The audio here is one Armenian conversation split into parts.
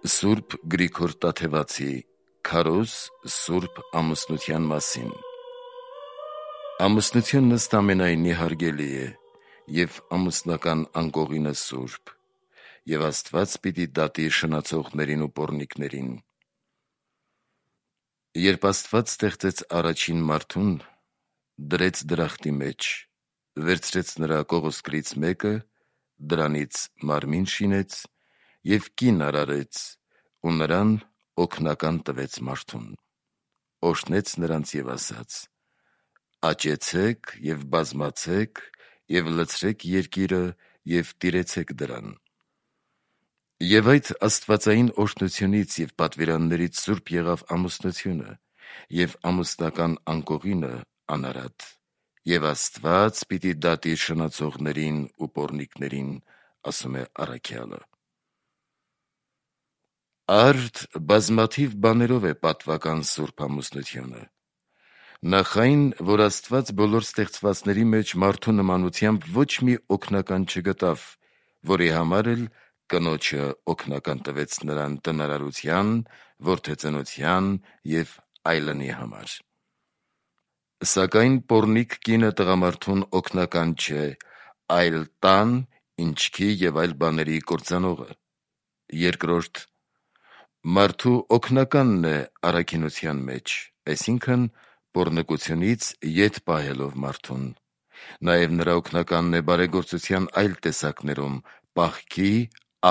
Սուրբ Գրիգոր Տաթևացի «Քարոզ Սուրբ ամուսնության մասին» Ամուսնությունն ըստ ամենայնի հարգելի է, և ամուսնական անկողինը սուրբ, և Աստված պիտի դատի շնացողներին ու պոռնիկներին։ Երբ Աստված ստեղծեց առաջին մարդուն, դրեց դրախտի մեջ, վերցրեց նրա կողոսկրից մեկը, դրանից մարմին շինեց և կին արարեց ու նրան օգնական տվեց մարդուն, օրհնեց նրանց և ասաց. «Աճեցեք և բազմացեք և լցրեք երկիրը և տիրեցեք դրան»։ Եվ այդ աստվածային օրհնությունից և պատվիրաններից սուրբ եղավ ամուսնությունը, և ամուսնական անկողինը անարատ, և Աստված պիտի դատի շնացողներին ու պոռնիկներին, ասում է առաքյալը։ Արդ բազմաթիվ բաներով է պատվական սուրբ ամուսնությունը։ Նախ այն, որ Աստված բոլոր ստեղծվածների մեջ մարդու նմանությամբ ոչ մի օգնական չգտավ, որի համար էլ կնոջը օգնական տվեց նրան տնարարության, որդեծնության և այլնի համար։ Սակայն պոռնիկ կինը տղամարդուն օգնական չէ, այլ տան, ինչքի և այլ բաների կործանողը։ Երկրորդ, մարդու օգնականն է առաքինության մեջ, այսինքն պոռնկությունից ետ պահելով մարդուն, նաև նրա օգնականն է բարեգործության այլ տեսակներում, պահքի,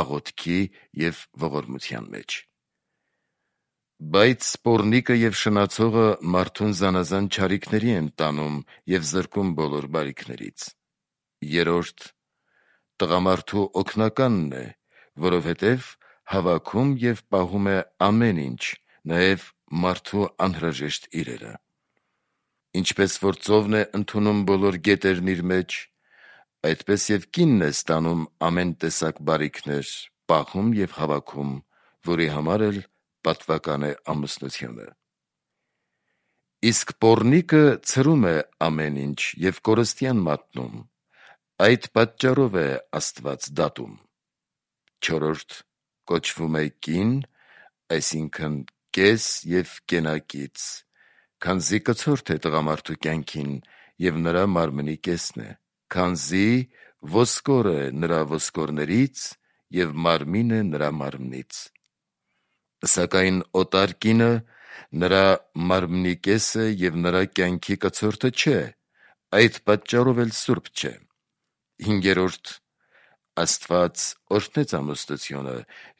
աղոթքի և ողորմության մեջ։ Բայց պոռնիկը և շնացողը մարդուն զանազան չարիքների են տանում և զրկում բոլոր բարիքներից։ Երրորդ, տղամարդու օգնականն է, որովհետև հավաքում և պահում է ամեն ինչ, նաև մարդու անհրաժեշտ իրերը։ Ինչպես որ ծովն է ընդունում բոլոր գետերն իր մեջ, այդպես և կինն է ստանում ամեն տեսակ բարիքներ, պահում և հավաքում, որի համար էլ պատվական է ամուսնությունը։ Իսկ պոռնիկը ցրում է ամեն ինչ և կորստյան մատնում, այդ պատճառով է Աստված դատում։ Չորրորդ, կոչվում է կին, այսինքն կես և կենակից, քանզի կցորդ է տղամարդու կյանքին և նրա մարմնի կեսն է, քանզի ոսկոր է նրա ոսկորներից և մարմին է նրա մարմնից։ Սակայն օտար կինը նրա մարմնի կեսը և նրա կյանքի կցորդը չէ, այդ պատճառով էլ սուրբ չէ։ Հինգերորդ, Աստված օրհնեց ամուսնությունը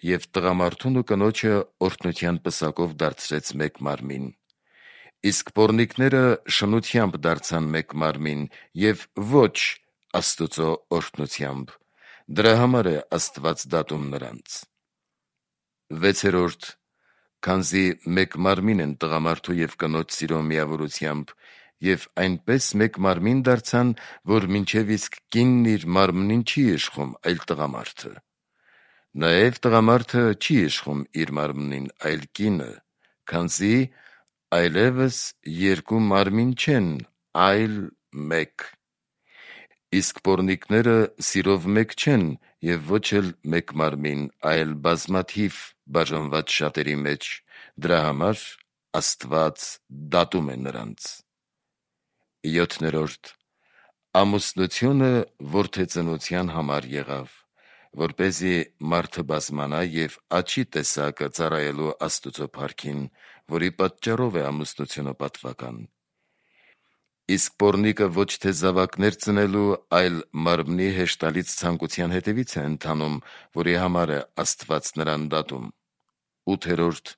և տղամարդուն ու կնոջը օրհնության պսակով դարձրեց մեկ մարմին։ Իսկ պոռնիկները շնությամբ դարձան մեկ մարմին և ոչ Աստուծո օրհնությամբ, դրա համար է Աստված դատում նրանց։ Վեցերորդ, քանզի մեկ մարմին են տղամարդու և կնոջ սիրո միավորությամբ, և այնպես մեկ մարմին դարձան, որ մինչև իսկ կինն իր մարմնին չի իշխում, այլ տղամարդը։ Նաև տղամարդը չի իշխում իր մարմնին, այլ կինը, քանզի այլևս երկու մարմին չեն, այլ մեկ։ Իսկ պոռնիկները սիրով մեկ չեն և ոչ էլ մեկ մարմին, այլ բազմաթիվ բաժանված շատերի մեջ, դրա համար Աստված դատում է նրանց։ Յոթներորդ, ամուսնությունը որդեծնության համար եղավ, որպեսզի մարդը բազմանա և աճի տեսակը ծառայելու Աստուծո փառքին, որի պատճառով է ամուսնությունը պատվական։ Իսկ պոռնիկը ոչ թե զավակներ ծնելու, այլ մարմնի հեշտալից ցանկության հետևից է ընթանում, որի համար է Աստված նրան դատում։ Ութերորդ,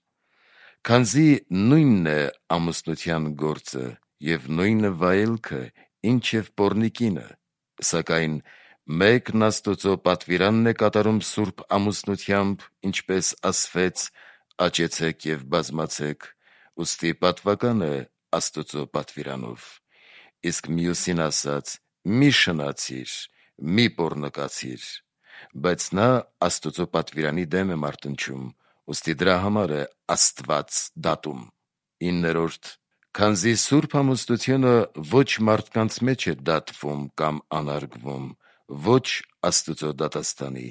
քանզի նույնն է ամուսնության գործը և նույնը վայելքը, ինչև պոռնիկինը, սակայն մեկն Աստուծո պատվիրանն է կատարում սուրբ ամուսնությամբ, ինչպես ասվեց. «Աճեցեք և բազմացեք», ուստի պատվական է Աստուծո պատվիրանով։ Իսկ մյուսին ասաց. «Մի շնացիր, մի պոռնկացիր», բայց նա Աստուծո պատվիրանի դեմ է մարտնչում, ուստի դրա համար է Աստված դատում։ Իններորդ, քանզի սուրբ ամուսնությունը ոչ մարդկանց մեջ է դատվում կամ անարգվում, ոչ Աստուծո դատաստանի,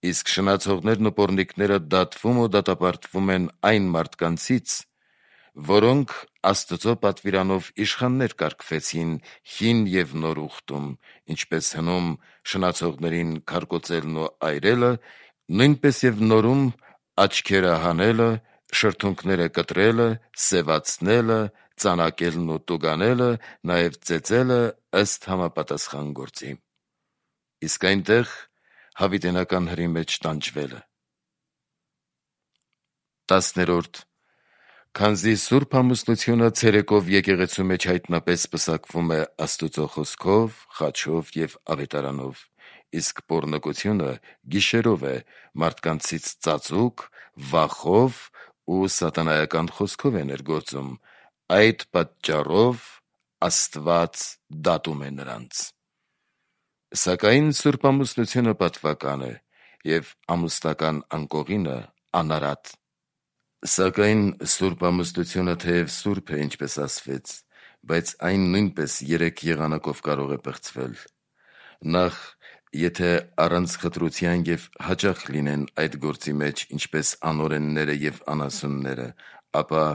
իսկ շնացողներն ու պոռնիկները դատվում ու դատապարտվում են այն մարդկանցից, որոնք Աստծո պատվիրանով իշխաններ կարգվեցին հին և նոր ուխտում, ինչպես հնում շնացողներին քարկոծելն ու այրելը, նույնպես և նորում աչքերը հանելը, շրթունքները կտրելը, սևացնելը, ծանակելն ու տուգանելը, նաև ծեծելը ըստ համապատասխան գործի։ Իսկ այնտեղ հավիտենական հրի մեջ տանջվելը։ 10. Քանզի Սուրբ ամուսնությունը ցերեկով եկեղեցու մեջ հայտնապես պսակվում է Աստուծո խոսքով, խաչով և ավետարանով, իսկ պոռնկությունը գիշերով է մարդկանցից ծածուկ, վախով ու սատանայական խոսքով է ներգործում, այդ պատճառով Աստված դատում է նրանց։ Սակայն Սուրբ ամուսնությունը պատվական է, և ամուսնական անկողինը անարատ։ Սակայն Սուրբ ամուսնությունը թեև սուրբ է, ինչպես ասվեց, բայց այն նույնպես 3 եղանակով կարող է պղծվել։ Նախ, եթե առանց խտրության և հաճախ լինեն այդ գործի մեջ, ինչպես անօրենները և անասունները, ապա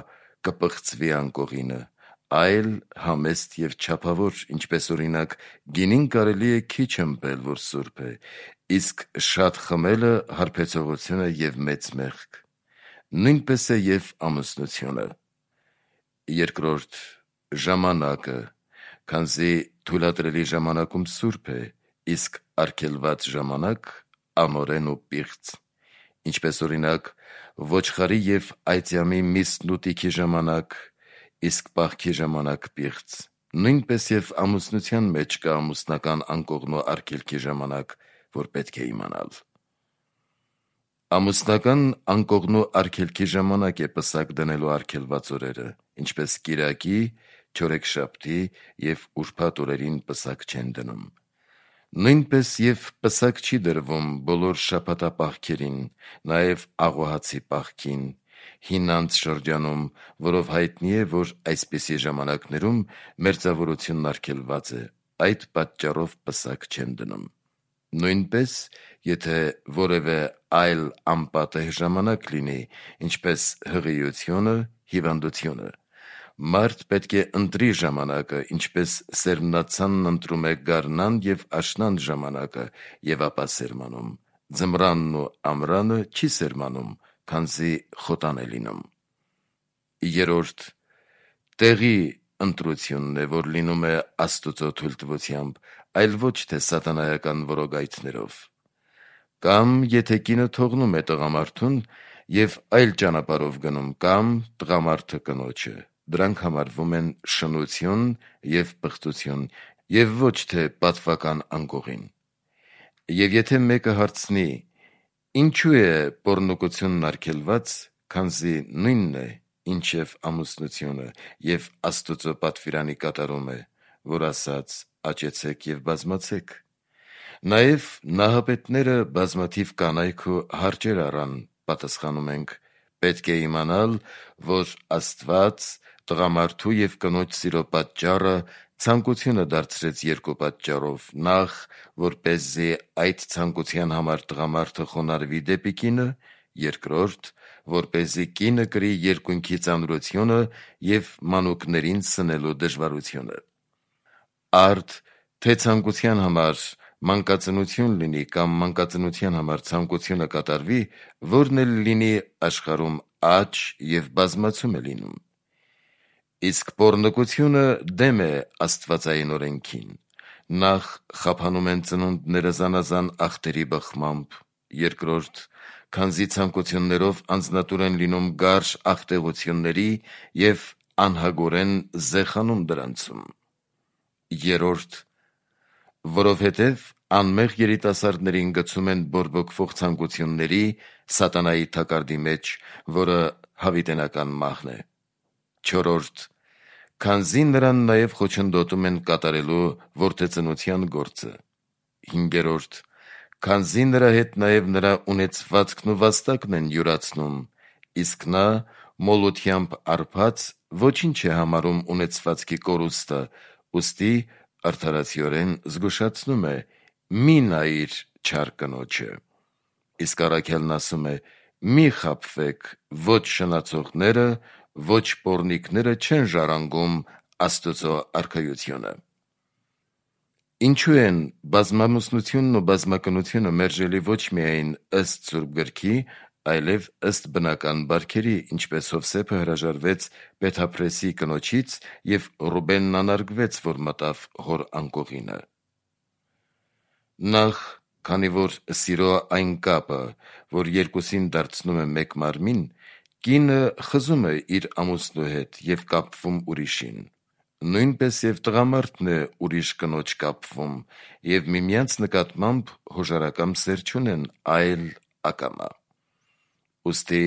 կպղծվի անկողինը, այլ համեստ և չափավոր, ինչպես օրինակ գինին կարելի է քիչ ըմպել, որ սուրբ է, իսկ շատ խմելը հարբեցողություն է և մեծ մեղք։ Նույնպես է և ամուսնությունը։ 2. Ժամանակը, քանզի թույլատրելի ժամանակում սուրբ է, իսկ արգելված ժամանակ անօրեն ու պիղծ, ինչպես օրինակ ոչխարի և այծյամի միսն ու տիքի ժամանակ, իսկ պահքի ժամանակ պիղծ, նույնպես և ամուսնության մեջ կա ամուսնական անկողնու արգելքի ժամանակ, որ պետք է իմանալ։ Ամուսնական անկողնու արգելքի ժամանակ է պսակ դնելու արգելված օրերը, ինչպես կիրակի, չորեքշաբթի և ուրբաթ օրերին պսակ չեն դնում։ Նույնպես և պսակ չի դրվում բոլոր շաբաթապահքերին, նաև աղոհացի պահքին, հինանց շրջանում, որով հայտնի է, որ այսպիսի ժամանակներում մերձավորությունն արգելված է, այդ պատճառով պսակ չեն դնում։ Նույնպես, եթե որևէ այլ անպատեհ ժամանակ լինի, ինչպես հղիությունը, հիվանդությունը, մարդ պետք է ընտրի ժամանակը, ինչպես սերմնացանն ընտրում է գարնան և աշնան ժամանակը և ապա սերմանում, ձմռանն ու ամռանը չի սերմանում, քանզի խոտան է լինում։ 3. Տեղի ընտրությունն է, որ լինում է Աստուծո թույլտվությամբ, այլ ոչ թե սատանայական որոգայթներով։ Կամ եթե կինը թողնում է տղամարդուն և այլ ճանապարհով գնում, կամ տղամարդը կնոջը, դրանք համարվում են շնություն և պղծություն և ոչ թե պատվական անկողին։ Եվ եթե մեկը հարցնի. ինչու է պոռնկությունն արգելված, քանզի նույնն է, ինչ և ամուսնությունը, և Աստուծո պատվիրանի կատարում է, որ ասաց. «Աճեցեք և բազմացեք»։ Նաև նահապետները բազմաթիվ կանայք ու հարճեր առան, պատասխանում ենք. պետք է իմանալ, որ Աստված տղամարդու և կնոջ սիրո պատճառը ցանկությունը դարձրեց երկու պատճառով. նախ, որպեսզի այդ ցանկության համար տղամարդը խոնարհվի դեպի կինը, երկրորդ, որպեսզի կինը կրի երկունքի ծանրությունը և մանուկներին սնելու դժվարությունը։ Արդ թե ցանկության համար մանկածնություն լինի կամ մանկածնության համար ցանկությունը կատարվի, որն էլ լինի աշխարհում աճ և բազմացում է լինում։ Իսկ պոռնկությունը դեմ է աստվածային օրենքին. նախ, խափանում են ծնունդները զանազան ախտերի բխմամբ, երկրորդ, քանզի ցանկություններով անձնատուր են լինում գարշ ախտեղությունների և անհագորեն զեխանում դրանցում, երրորդ, որովհետև անմեղ երիտասարդներին գցում են բորբոքվող ցանկությունների, սատանայի թակարդի մեջ, որը հավիտենական մահն է, չորրորդ, քանզի նրան նաև խոչընդոտում են կատարելու որդեծնության գործը, հինգերորդ, քանզի նրա հետ նաև նրա ունեցվածքն ու վաստակն են յուրացնում, իսկ նա մոլութեամբ արբած ոչինչ է համարում ունեցվածքի կորուստը, ուստի արդարացիորեն զգուշացնում է. «Մի նայիր չար կնոջը»։ Իսկ Առաքելն ասում է. «Մի խաբվեք, ոչ շնացողները, ոչ պոռնիկները չեն ժառանգում Աստծո արքայությունը»։ Ինչու են բազմամուսնությունն ու բազմակնությունը մերժելի ոչ միայն ըստ Սուրբ Գրքի, այլև ըստ բնական բարքերի, ինչպես Հովսեփը հրաժարվեց Փեթափրեսի կնոջից և Ռուբենն անարգվեց, որ մտավ հոր անկողինը։ Նախ, քանի որ սիրո այն կապը, որ երկուսին դարձնում է մեկ մարմին, կինը խզում է իր ամուսնու հետ և կապվում ուրիշին, նույնպես և տղամարդն է ուրիշ կնոջ կապվում և միմյանց նկատմամբ հոժարակամ սեր չունեն, այլ ակամա։ Ուստի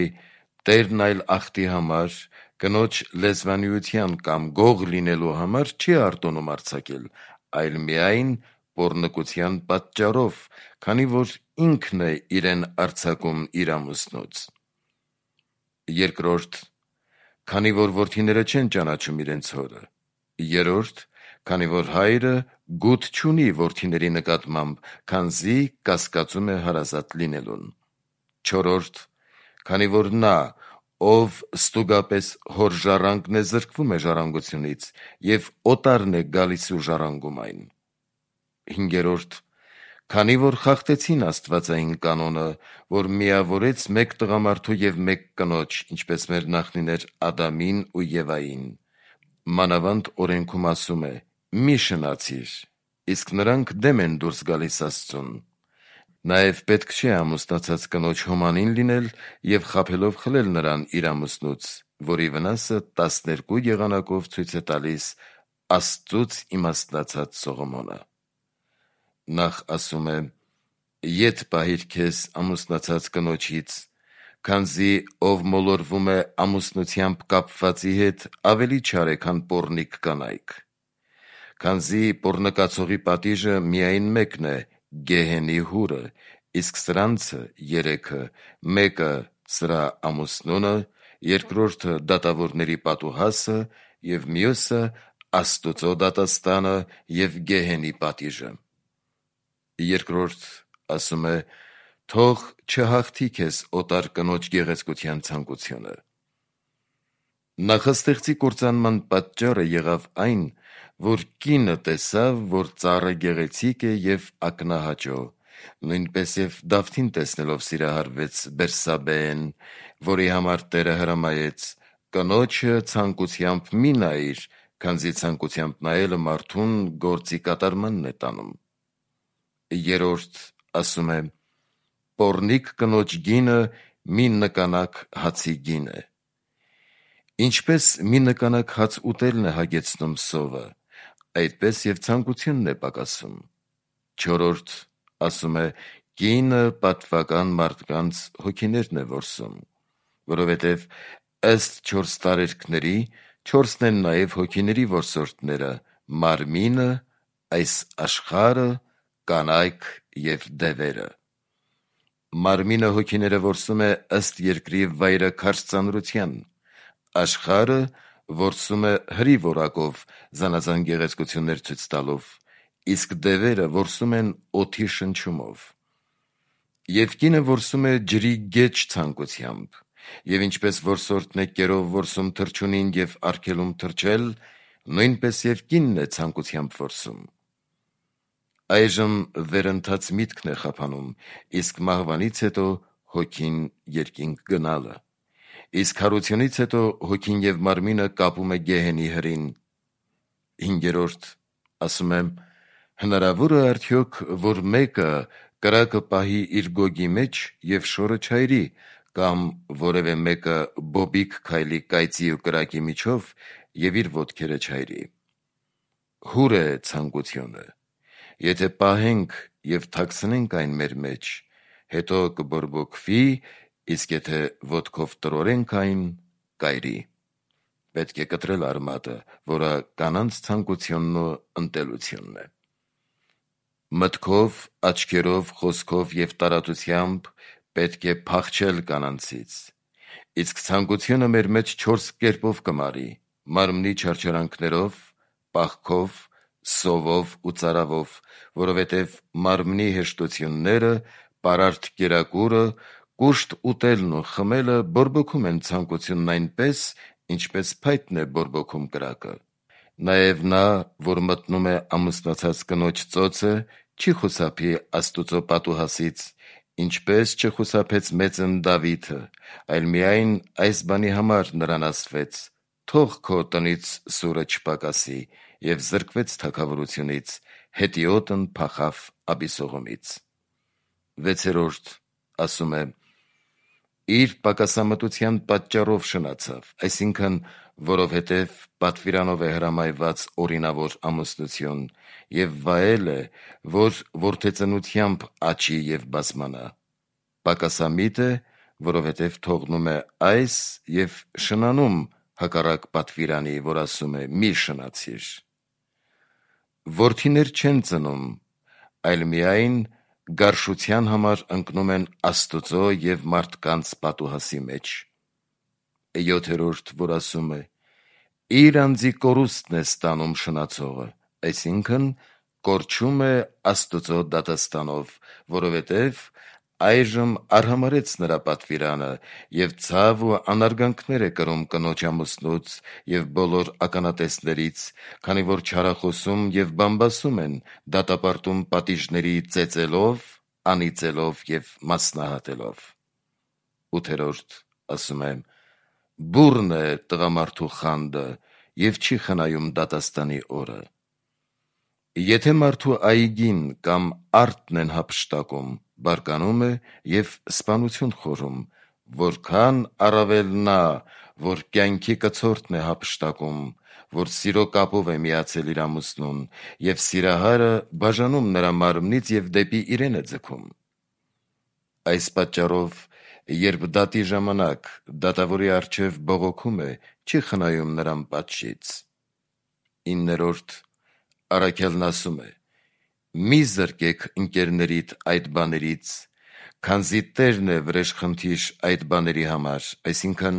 Տերն այլ ախտի համար, կնոջ լեզվանիության կամ գող լինելու համար չի արտոնում արձակել, այլ միայն պոռնկության պատճառով, քանի որ ինքն է իրեն արձակում իր ամուսնուց։ Երկրորդ, քանի որ որդիները չեն ճանաչում իրենց հորը։ Երրորդ, քանի որ հայրը գութ չունի որդիների նկատմամբ, քանզի կասկածում է հարազատ լինելուն։ Չորրորդ, քանի որ նա, ով ստուգապես հոր ժառանգն է, զրկվում է ժառանգությունից և օտարն է գալիս ու ժառանգում այն։ Հինգերորդ, քանի որ խախտեցին աստվածային կանոնը, որ միավորեց մեկ տղամարդու և մեկ կնոջ, ինչպես մեր նախնիներ Ադամին ու Եվային, մանավանդ օրենքում ասում է. «Մի շնացիր», իսկ նրանք դեմ են դուրս գալիս Աստծուն։ Նաև պետք չէ ամուսնացած կնոջ հոմանին լինել և խաբելով խլել նրան իր ամուսնուց, որի վնասը 12 եղանակով ցույց է տալիս Աստծուց իմաստնացած Սողոմոնը։ Նախ ասում է. «Ետ պահիր քեզ ամուսնացած կնոջից, քանզի ով մոլորվում է ամուսնությամբ կապվածի հետ, ավելի չար է, քան պոռնիկ կանայք։ Քանզի պոռնկացողի պատիժը միայն մեկն է՝ գեհենի հուրը, իսկ սրանցը երեքը, մեկը սրա ամուսնունը, երկրորդը դատավորների պատուհասը և մյուսը Աստուծո դատաստանը և գեհենի պատիժը»։ Երկրորդ ասում է. «Թող չհաղթի քեզ օտար կնոջ գեղեցկության ցանկությունը»։ Նախաստեղծի կործանման պատճառը եղավ այն, որ կինը տեսավ, որ ծառը գեղեցիկ է և ակնահաճո, նույնպես և Դավթին տեսնելով սիրահարվեց Բերսաբեեն, որի համար Տերը հրամայեց. «Կնոջը ցանկությամբ մի նայիր, քանզի ցանկությամբ նայելը մարդուն գործի կատարմանն է տանում»։ Երրորդ ասում է. «Պոռնիկ կնոջ գինը մի նկանակ հացի գին է»։ Ինչպես մի նկանակ հաց ուտելն է հագեցնում սովը, այդպես և ցանկությունն է պակասում։ Չորրորդ ասում է. «Կինը պատվական մարդկանց հոգիներն է որսում», որովհետև ըստ 4 տարերքների 4-ն են նաև հոգիների որսորդները՝ մարմինը, այս աշխարհը, կանայք և դևերը։ Մարմինը հոգիները որսում է ըստ երկրի վայրաքարշ ծանրության, աշխարհը որսում է հրի որակով զանազան գեղեցկություններ ցույց տալով, իսկ դևերը որսում են օդի շնչումով։ Եվ կինը որսում է ջրի գեջ ցանկությամբ, և ինչպես որսորդն է կերով որսում թռչունին և արգելում թռչել, նույնպես և կինն է ցանկությամբ որսում։ Այժմ վերընթաց միտքն է խափանում, իսկ մահվանից հետո հոգին երկինք գնալը, իսկ հարությունից հետո հոգին և մարմինը կապում է գեհենի հրին։ Հինգերորդ ասում է. «Հնարավոր է արդյոք, որ մեկը կրակը պահի իր գոգի մեջ և շորը չայրի, կամ որևէ մեկը բոբիկ քայլի կայծի ու կրակի միջով և իր ոտքերը չայրի։ Հուր է ցանկությունը. եթե պահենք և թաքցնենք այն մեր մեջ, հետո կբորբոքվի, իսկ եթե ոտքով տրորենք այն, կայրի»։ Պետք է կտրել արմատը, որը կանանց ցանկությունն ու ընտելությունն է։ Մտքով, աչքերով, խոսքով և տարածությամբ պետք է փախչել կանանցից, իսկ ցանկությունը մեր մեջ 4 կերպով կմարի՝ մարմնի չարչարանքներով, պահքով, սովով ու ծարավով, որովհետև մարմնի հեշտությունները պարարտ կերակուրը, կուշտ ուտելն ու խմելը բորբոքում են ցանկությունն այնպես, ինչպես փայտն է բորբոքում կրակը։ Նաև նա, որ մտնում է ամուսնացած կնոջ ծոցը, չի խուսափի Աստուծո պատուհասից, ինչպես չխուսափեց մեծն Դավիթը, այլ միայն այս բանի համար նրան ասվեց. «Թող քո տնից սուրը չպակասի», և զրկվեց թագավորությունից, հետիոտն փախավ Աբիսողոմից։ 6. Ասում է. իր պակասամտության պատճառով շնացավ, այսինքն, որովհետև պատվիրանով է հրամայված օրինավոր ամուսնություն, և վայել է, որ որդեծնությամբ աճի և բազմանա։ Պակասամիտ է, որովհետև թողնում է այս և շնանում հակառակ պատվիրանի, որ ասում է՝ մի շնացիր։ Որդիներ չեն ծնում, այլ միայն գարշության համար ընկնում են Աստուծո և մարդկանց պատուհասի մեջ։ 7. Որ ասում է. իր անձի կորուստն է ստանում շնացողը, այսինքն կորչում է Աստուծո դատաստանով, որովհետև այժմ արհամարհեց նրա պատվիրանը և ցավ ու անարգանքներ է կրում կնոջ ամուսնուց և բոլոր ականատեսներից, քանի որ չարախոսում և բամբասում են, դատապարտում պատիժների ծեծելով, անիծելով և մասնահատելով։ 8. Ասում է. բուռն է տղամարդու խանդը և չի խնայում դատաստանի օրը։ Եթե մարդու այգին կամ արտն են հափշտակում, բարկանում է և սպանություն խորում, որքան առավել նա, որ կյանքի կցորդն է հափշտակում, որ սիրո կապով է միացել իր ամուսնուն, և սիրահարը բաժանում նրա մարմնից և դեպի իրեն է ձգում։ Այս պատճառով, երբ դատի ժամանակ դատավորի առջև բողոքում է, չի խնայում նրան պատժից։ 9. Առաքյալն ասում է. մի զրկեք ընկերներիդ այդ բաներից, քանզի Տերն է վրեժխնդիր այդ բաների համար, այսինքն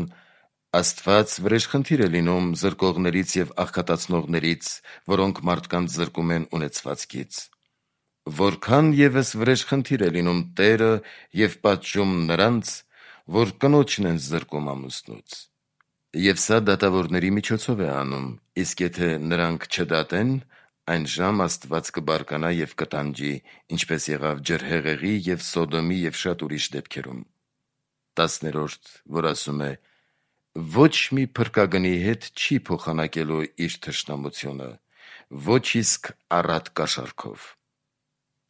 Աստված վրեժխնդիր է լինում զրկողներից և աղքատացնողներից, որոնք մարդկանց զրկում են ունեցվածքից։ Որքան ևս վրեժխնդիր է լինում Տերը և պատժում նրանց, որ կնոջն են զրկում ամուսնուց։ Եվ սա դատավորների միջոցով է անում, իսկ եթե նրանք չդատեն, այնժամ Աստված կբարկանա և կտանջի, ինչպես եղավ ջրհեղեղի և Սոդոմի և շատ ուրիշ դեպքերում։ 10. Որ ասում է. ոչ մի փրկագնի հետ չի փոխանակելու իր թշնամությունը, ոչ իսկ առատ կաշառքով։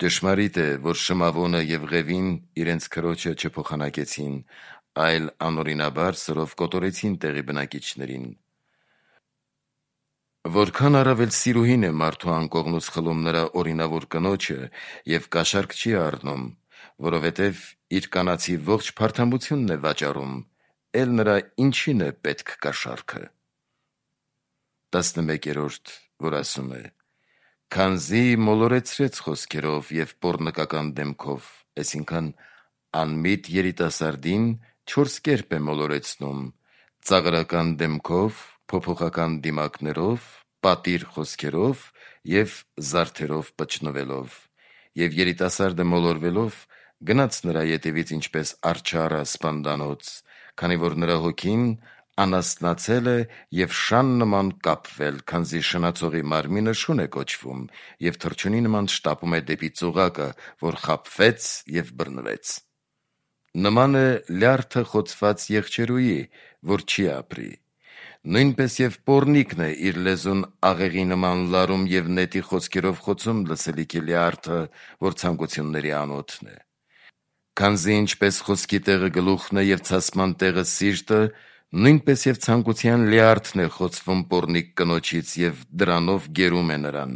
Ճշմարիտ է, որ Շմավոնը և Ղևին իրենց քրոջը չփոխանակեցին, այլ անօրինաբար սրով կոտորեցին տեղի բնակիչներին։ Որքան առավել սիրուհին է մարդու անկողնուց խլում նրա օրինավոր կնոջը և կաշառք չի առնում, որովհետև իր կանացի ողջ փարթամությունն է վաճառում, էլ նրա ինչին է պետք կաշառքը։ 11. Որ ասում է. քանզի մոլորեցրեց խոսքերով և պոռնկական դեմքով, այսինքն անմիտ երիտասարդին 4 կերպ է մոլորեցնում. ծաղրական դեմքով, փոփոխական դիմակներով, պատիր խոսքերով և զարդերով պճնվելով, և երիտասարդը մոլորվելով գնաց նրա ետևից ինչպես արջառը սպանդանոց, քանի որ նրա հոգին անասնացել է և շան նման կապվել, քանզի շնացողի մարմինը շուն է կոչվում և թռչունի նման շտապում է դեպի ծուղակը, որ խաբվեց և բռնվեց։ Նման է լյարդը խոցված եղջերուի, որ չի ապրի։ Նույնպես և պոռնիկն է իր լեզուն աղեղի նման լարում և նետի խոսքերով խոցում լսելիքի լյարդը, որ ցանկությունների անոթն է։ Քանզի ինչպես խոսքի տեղը գլուխն է և ցասման տեղը սիրտը, նույնպես և ցանկության լյարդն է խոցվում պոռնիկ կնոջից և դրանով գերում է նրան։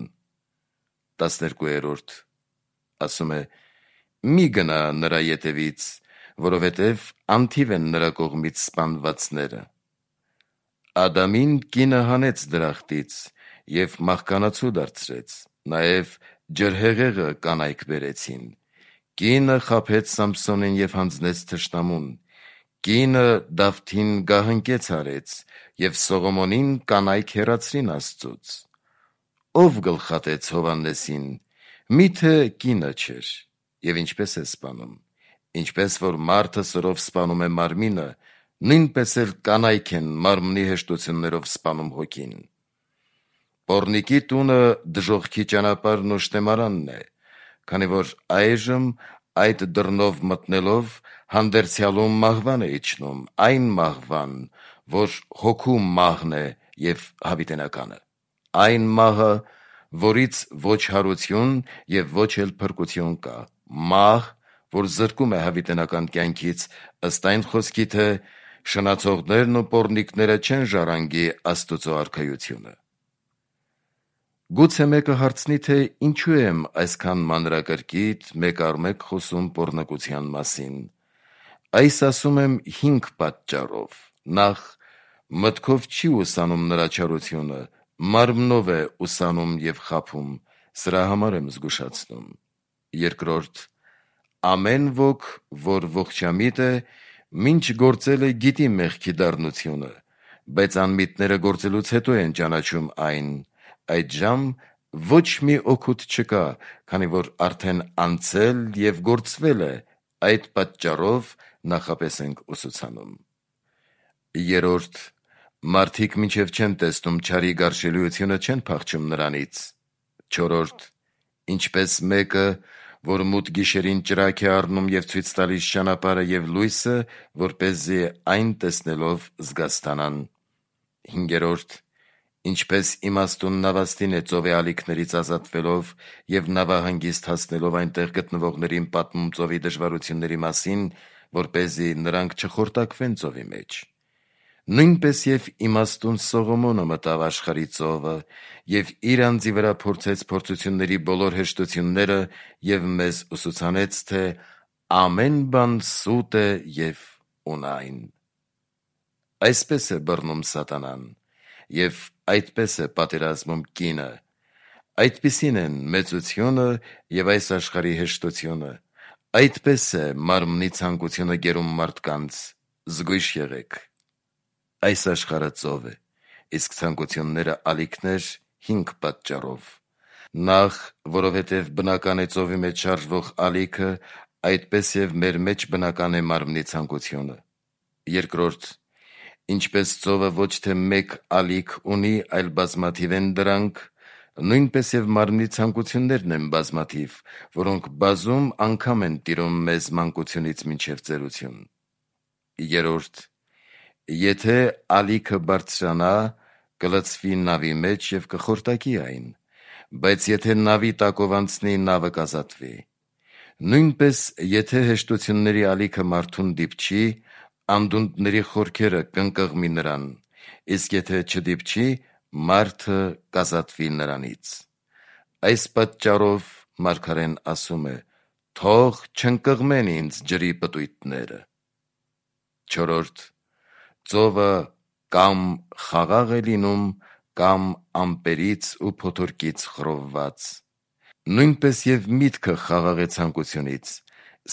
12. Ասում է. մի գնա նրա ետևից, որովհետև անթիվ են նրա կողմից սպանվածները։ Ադամին կինը հանեց դրախտից և մահկանացու դարձրեց, նաև ջրհեղեղը կանայք բերեցին։ Կինը խաբեց Սամփսոնին և հանձնեց թշնամուն։ Կինը Դավթին գահընկեց արեց, և Սողոմոնին կանայք հեռացրին Աստծուց։ Ո՞վ գլխատեց Հովհաննեսին, մի՞թե կինը չէր, և ինչպես է սպանում։ Ինչպես որ մարդը սրով սպանում է մարմինը, նույնպես էլ կանայք են մարմնի հեշտություններով սպանում հոգին։ Պոռնիկի տունը դժոխքի ճանապարհն ու շտեմարանն է, քանի որ այժմ այդ դռնով մտնելով հանդերձյալում մահվան է իջնում, այն մահվան, որ հոգու մահն է և հավիտենականը, այն մահը, որից ոչ հարություն և ոչ էլ փրկություն կա, մահ, որ զրկում է հավիտենական կյանքից, ըստ այն խոսքի, թե շնացողներն ու պոռնիկները չեն ժառանգի Աստուծո արքայությունը։ Գուցե մեկը հարցնի, թե ինչու եմ այսքան մանրակրկիտ մեկ առ մեկ խոսում պոռնկության մասին։ Այս ասում եմ 5 պատճառով։ Նախ, մտքով չի ուսանում նրա չարությունը, մարմնով է ուսանում և խաբում, սրա համար եմ զգուշացնում։ Երկրորդ, ամեն ոք, որ ողջամիտ է, մինչ գործել է գիտի մեղքի դառնությունը, բայց անմիտները գործելուց հետո են ճանաչում այն, այդժամ ոչ մի օգուտ չկա, քանի որ արդեն անցել և գործվել է, այդ պատճառով նախապես ենք ուսուցանում։ Երրորդ, մարդիկ մինչև չեն տեսնում չարի գարշելիությունը, չեն փախչում նրանից։ Չորրորդ, ինչպես մեկը, որ մութ գիշերին ճրագ է առնում և ցույց տալիս ճանապարհը և լույսը, որպեսզի այն տեսնելով զգաստանան։ Հինգերորդ, ինչպես իմաստուն նավաստին է ծովի ալիքներից ազատվելով և նավահանգիստ հասնելով այնտեղ գտնվողներին պատմում ծովի դժվարությունների մասին, որպեսզի նրանք չխորտակվեն ծովի մեջ։ Նույնպես և իմաստուն Սողոմոնը մտավ աշխարհի ծովը և իր անձի վրա փորձեց փորձությունների բոլոր հեշտությունները և մեզ ուսուցանեց, թե ամեն բան սուտ է և ունայն։ Այսպես է բռնում սատանան և այդպես է պատերազմում կինը, այդպիսին են մեծությունը և այս աշխարհի հեշտությունը, այդպես է մարմնի ցանկությունը գերում մարդկանց, զգույշ եղեք։ Այս աշխարհը ծով է, իսկ ցանկությունները ալիքներ 5 պատճառով։ Նախ, որովհետև բնական է ծովի մեջ շարժվող ալիքը, այդպես և մեր մեջ բնական է մարմնի ցանկությունը։ Երկրորդ, ինչպես ծովը ոչ թե մեկ ալիք ունի, այլ բազմաթիվ են դրանք, նույնպես և մարմնի ցանկություններն են բազմաթիվ, որոնք բազում անգամ են տիրում մեզ մանկությունից մինչև ծերություն։ Երրորդ, եթե ալիքը բարձրանա, կլցվի նավի մեջ և կխորտակի այն, բայց եթե նավի տակով անցնի, նավը կազատվի։ Նույնպես, եթե հեշտությունների ալիքը մարդուն դիպչի, անդունդների խորքերը կընկղմի նրան, իսկ եթե չդիպչի, մարդը կազատվի նրանից։ Այս պատճառով մարգարեն ասում է. «Թող չընկղմեն ինձ ջրի պտույտները»։ Չորրորդ, ծովը կամ խաղաղ է լինում, կամ ամպերից ու փոթորկից խռովված։ Նույնպես և միտքը խաղաղ է ցանկությունից,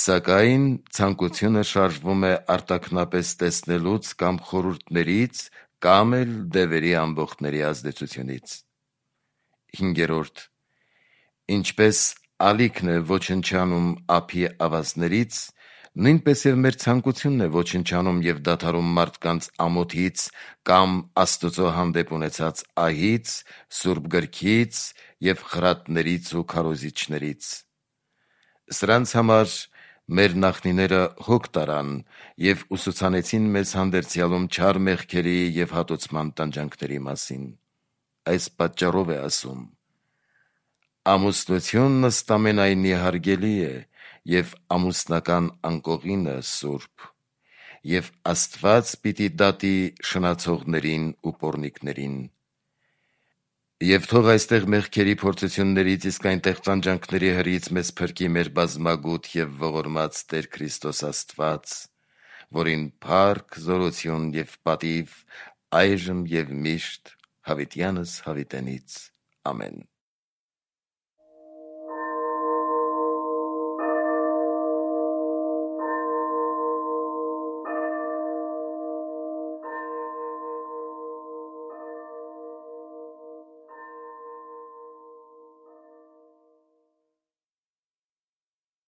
սակայն ցանկությունը շարժվում է արտաքնապես տեսնելուց կամ խորհուրդներից, կամ էլ դևերի ամբոխների ազդեցությունից։ Հինգերորդ, ինչպես ալիքն է ոչնչանում ափի ավազներից, նույնպես և մեր ցանկությունն է ոչնչանում և դադարում մարդկանց ամոթից կամ Աստուծո հանդեպ ունեցած ահից, Սուրբ Գրքից և խրատներից ու քարոզիչներից։ Սրանց համար մեր նախնիները հոգ տարան և ուսուցանեցին մեզ հանդերձյալում չար մեղքերի և հատուցման տանջանքների մասին։ Այս պատճառով է ասում. «Ամուսնությունն ըստ ամենայնի հարգելի է, և ամուսնական անկողինը սուրբ, և Աստված պիտի դատի շնացողներին ու պոռնիկներին»։ Եվ թող այստեղ մեղքերի փորձություններից, իսկ այնտեղ տանջանքների հրից մեզ փրկի մեր բազմագութ և ողորմած Տեր Քրիստոս Աստված, որին փառք, զորություն և պատիվ այժմ և միշտ հավիտյանս հավիտենից։ Ամեն։